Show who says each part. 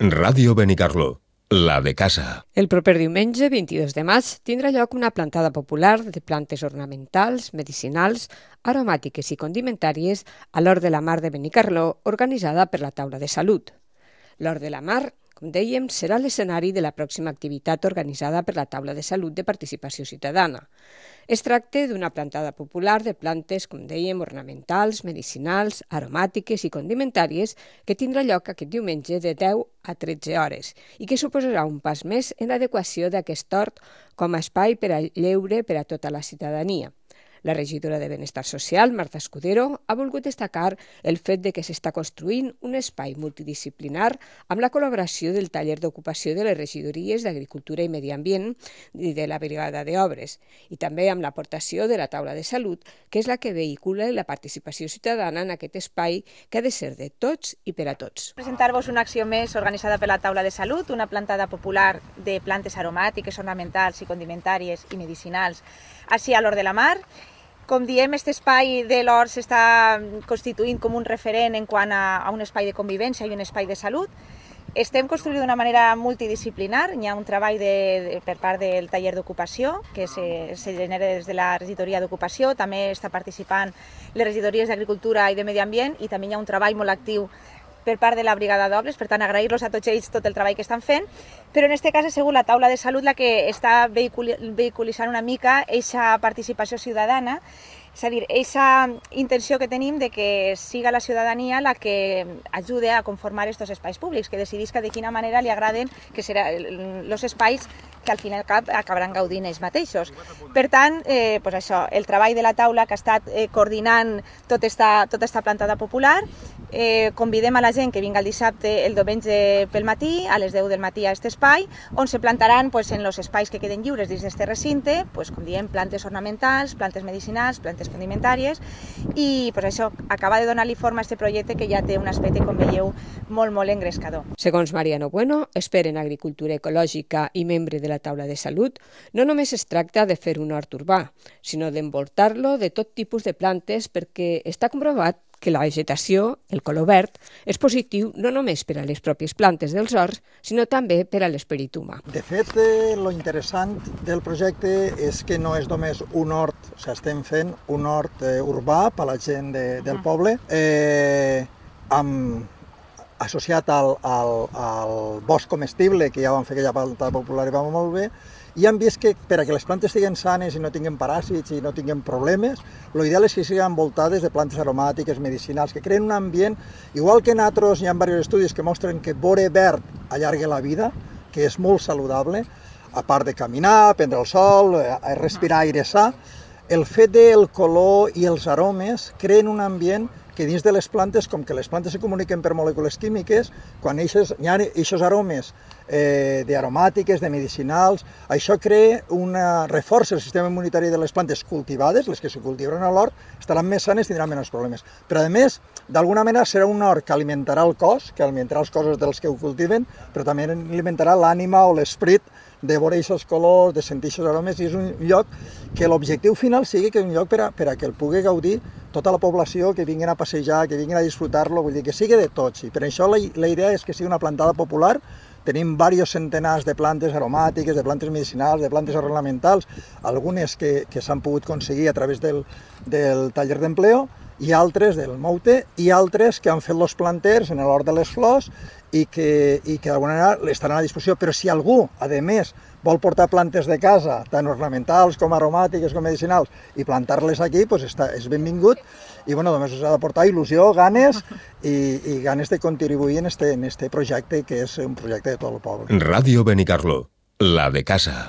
Speaker 1: Ràdio Benicarló, la de casa.
Speaker 2: El proper diumenge, 22 de maig, tindrà lloc una plantada popular de plantes ornamentals, medicinals, aromàtiques i condimentàries a l'Hort de la Mar de Benicarló, organitzada per la Taula de Salut. L'Hort de la Mar, com dèiem, serà l'escenari de la pròxima activitat organitzada per la Taula de Salut de Participació Ciutadana. Es tracta d'una plantada popular de plantes, com dèiem, ornamentals, medicinals, aromàtiques i condimentàries que tindrà lloc aquest diumenge de 10 a 13 hores i que suposarà un pas més en l'adequació d'aquest hort com a espai per a lleure per a tota la ciutadania. La regidora de Benestar Social, Marta Escudero, ha volgut destacar el fet de que s'està construint un espai multidisciplinar amb la col·laboració del taller d'ocupació de les regidories d'Agricultura i Medi Ambient i de la Brigada d'Obres, i també amb l'aportació de la Taula de Salut, que és la que vehicula la participació ciutadana en aquest espai que ha de ser de tots i per a tots.
Speaker 3: Presentar-vos una acció més organitzada per la Taula de Salut, una plantada popular de plantes aromàtiques, ornamentals i condimentàries i medicinals així a l'Hort de la Mar. Com diem, aquest espai de l'Hort s'està constituint com un referent en quant a un espai de convivència i un espai de salut. Estem construint d'una manera multidisciplinar. Hi ha un treball per part del taller d'ocupació que se genera des de la regidoria d'ocupació. També està participant les regidories d'Agricultura i de Medi Ambient i també hi ha un treball molt actiu per part de la Brigada d'Obres, per tant agrair-los a tots ells tot el treball que estan fent, però en aquest cas ha sigut la Taula de Salut la que està vehiculitzant una mica aquesta participació ciutadana, és a dir, aquesta intenció que tenim de que siga la ciutadania la que ajude a conformar aquests espais públics, que decidisca de quina manera li agraden que seran els espais que al fin i al cap acabaran gaudint ells mateixos. Per tant, això, el treball de la taula que ha estat coordinant tota esta plantada popular. Convidem a la gent que vinga el dissabte, el diumenge pel matí, a les 10 del matí a aquest espai, on se plantaran en els espais que queden lliures dins d'aquest recinte, com diem, plantes ornamentals, plantes medicinals, plantes condimentàries, i això acaba de donar-li forma a aquest projecte que ja té un aspecte, com veieu, molt, molt engrescador.
Speaker 2: Segons Mariano Bueno, expert en agricultura ecològica i membre de la Taula de Salut, no només es tracta de fer un hort urbà, sinó d'envoltar-lo de tot tipus de plantes perquè està comprovat que la vegetació, el color verd, és positiu no només per a les pròpies plantes dels horts, sinó també per a l'esperit humà.
Speaker 4: De fet, lo interessant del projecte és que no és només un hort, estem fent un hort urbà per a la gent del poble, associat al bosc comestible, que ja vam fer aquella plantada popular i va molt bé, i hem vist que per a que les plantes estiguin sanes i no tinguin paràsits i no tinguin problemes, l'ideal és que siguin envoltades de plantes aromàtiques, medicinals, que creen un ambient, igual que en altres hi ha diversos estudis que mostren que veure verd allarga la vida, que és molt saludable, a part de caminar, prendre el sol, respirar aire sa, el fet del color i els aromes creen un ambient que dins de les plantes, com que les plantes se comuniquen per molècules químiques, quan hi ha aquests aromes d'aromàtiques, de medicinals, això reforça el sistema immunitari de les plantes cultivades, les que se cultivaran a l'hort, estaran més sanes i tindran menys problemes. Però a més, d'alguna manera serà un hort que alimentarà el cos, que alimentarà els cossos dels que ho cultiven, però també alimentarà l'ànima o l'esperit de veure aquests colors, de sentir aquests aromes, i és un lloc que l'objectiu final sigui que és un lloc per a que el pugui gaudir tota la població, que vinguin a passejar, que vinguin a disfrutar-lo, vull dir, que sigui de tots. I per això la idea és que sigui una plantada popular. Tenim diversos centenars de plantes aromàtiques, de plantes medicinals, de plantes ornamentals, algunes que s'han pogut aconseguir a través del taller d'empleo, i altres del Moute, i altres que han fet els planters en l'hort de les flors i que d'alguna manera estaran a disposició. Però si algú, a més, vol portar plantes de casa, tant ornamentals com aromàtiques com medicinals, i plantar-les aquí, és benvingut. I només us ha de portar il·lusió, ganes i ganes de contribuir en este projecte, que és un projecte de tot el poble.
Speaker 1: Ràdio Benicarló, la de casa.